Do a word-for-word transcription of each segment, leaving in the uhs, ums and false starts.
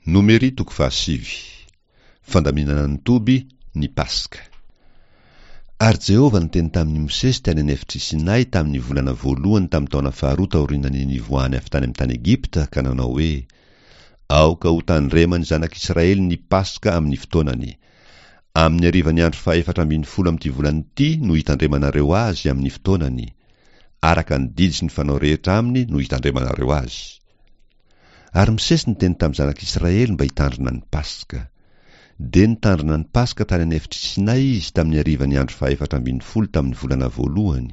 Nomery toko fahasivy. Fandaminana ny toby, ny Paska. Ary Jehovah niteny tamin'i Mosesy tany an'efitr'i Sinay tamin'ny volana voalohany tamin'ny taona faharoa taorian'ny nivoahany avy tany amin'ny tany Egypta ka nanao hoe: Aoka ho tandreman'ny zanak'Israely ny Paska amin'ny fotoanany. Amin'ny harivan'ny andro fahefatra ambin'ny folo amin'ity volana ity no hitandremanareo azy amin'ny fotoanany. Araka ny didy sy ny fanao rehetra aminy no hitandremanareo azy. Ary Mosesy niteny tamin'ny zanak'Israely mba hitandrina ny Paska. Dia nitandrina ny Paska tany an'efitr'i Sinay izy tamin'ny harivan'ny andro fahefatra ambin'ny folo tamin'ny volana voalohany.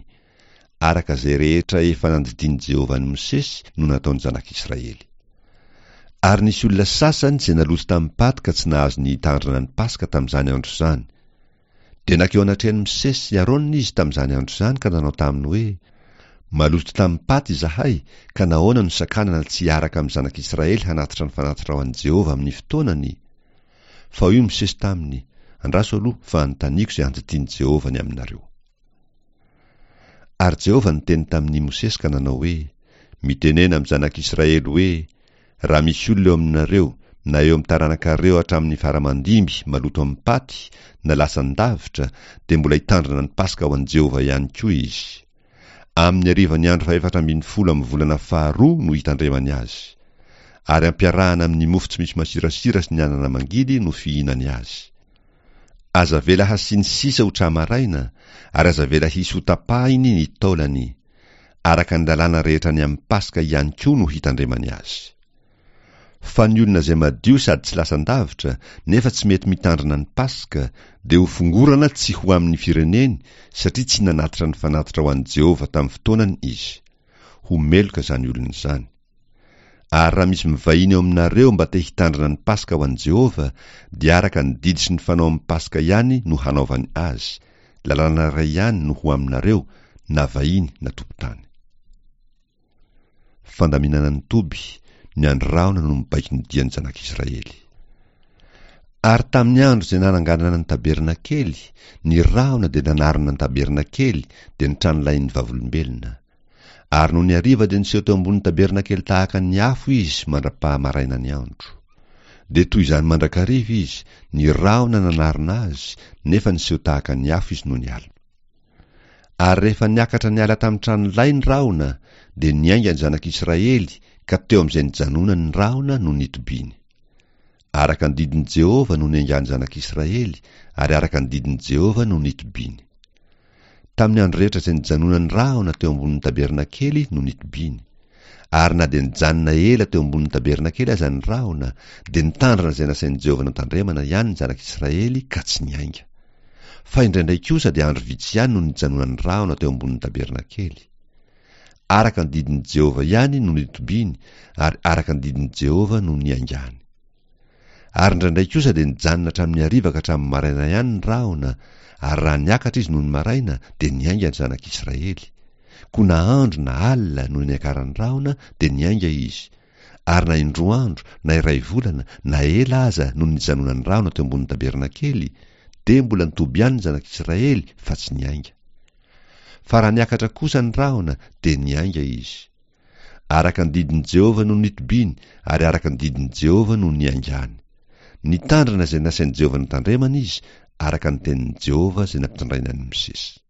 Araka izay rehetra efa nandidian'i Jehovah an'i Mosesy no nataon'ny zanak'Israely. Ary nisy olona sasany izay naloto tamin'ny paty ka tsy nahazo ny hitandrina ny Paska tamin'izany andro izany. Dia nankeo anatrehan'i Mosesy sy Aarona izy tamin'izany andro izany ka nanao taminy hoe: Maloto tamin'ny paty izahay, ka nahoana no sakanana tsy hiaraka amin'ny zanak'Israely hanatitra ny fanatitra ho an'i Jehovah amin'ny fotoanany? Fa hoy Mosesy taminy: Andraso aloha fa anontaniako izay andidian'i Jehovah ny aminareo. Ary Jehovah niteny tamin'i Mosesy ka nanao hoe: Mitenena amin'ny zanak'Israely hoe: Raha misy olona eo aminareo, na eo amin'ny taranakareo hatramin'ny fara-mandimby maloto amin'ny paty, na lasan-davitra, dia mbola hitandrina ny Paska ho an'i Jehovah ihany koa izy. Amin'ny harivan'ny andro fahefatra ambin'ny folo amin'ny volana faharoa no hitandremany azy. Ary ampiarahana amin'ny mofo tsy misy masirasira sy ny anana mangidy no fihinany azy. Aza avela hasiany sisa ho tra-maraina, ary aza avela hisy ho tapahiny ny taolany. Araka ny lalàna rehetra ny amin'ny Paska ihany koa no hitandremany azy. Fa ny olona izay madio sady tsy lasan-davitra, nefa tsy mety mitandrina ny Paska, dia ho fongorana tsy ho amin'ny fireneny, satria tsy nanatitra ny fanatitra ho an'i Jehovah tamin'ny fotoanany izy. Ho meloka izany olona izany. Ary raha misy mivahiny eo aminareo mba te hitandrina ny Paska ho an'i Jehovah, dia araka ny didy sy ny fanao amin'ny Paska ihany no hanaovany azy. Lalàna iray ihany no ho aminareo, na vahiny na tompon-tany. Fandaminana ny toby, ny andry rahona no mibaiko ny dian'ny zanak'Israely. Ary tamin'ny andro izay nananganana ny tabernakely, ny rahona dia nanarona ny tabernakely, dia ny tranolahin'ny vavolombelona. Ary nony hariva dia niseho teo ambonin'ny tabernakely tahaka ny afo izy mandra-pahamaraina ny andro. Dia toy izany mandrakariva izy, ny rahona nanarona azy, nefa niseho tahaka ny afo izy nony alina. Ary rehefa niakatra niala tamin'ny tranolay ny rahona, dia niainga ny zanak'Israely, ka teo amin'izay nijanonany ny rahona no nitobiany. Araka ny didin'i Jehovah no niaingan'ny zanak'Israely, ary araka ny didin'i Jehovah no nitobiany. Tamin'ny andro rehetra izay nijanonany rahona teo ambonin'ny tabernakely no nitobiany. Ary na dia nijanona ela teo ambonin'ny tabernakely aza ny rahona, dia nitandrina izay nasain'i Jehovah notandremana ihany ny zanak'Israely ka tsy niainga. Fa indraindray kosa dia andro vitsy ihany no nijanonan'ny rahona teo ambonin'ny tabernakely. Araka ny didin'i Jehovah ihany no nitobiany, ary araka ny didin'i Jehovah no niaingany. Ary indraindray kosa dia nijanona hatramin'ny hariva ka hatramin'ny maraina ihany ny rahona, ary raha niakatra izy nony maraina, dia niainga ny zanak'Israely. Koa na andro na alina no niakaran'ny rahona, dia niainga izy. Ary na indroa andro, na iray volana, na ela aza no nijanonan'ny rahona teo ambonin'ny tabernakely, dia mbola nitoby ihany ny zanak'Israely fa tsy niainga. Fa raha niakatra kosa ny rahona, dia niainga izy. Araka ny didin'i Jehovah no nitobiany, ary araka ny didin'i Jehovah no niaingany. Nitandrina izay nasain'i Jehovah notandremana izy, araka ny tenin'i Jehovah izay nampitondrainy an'i Mosesy.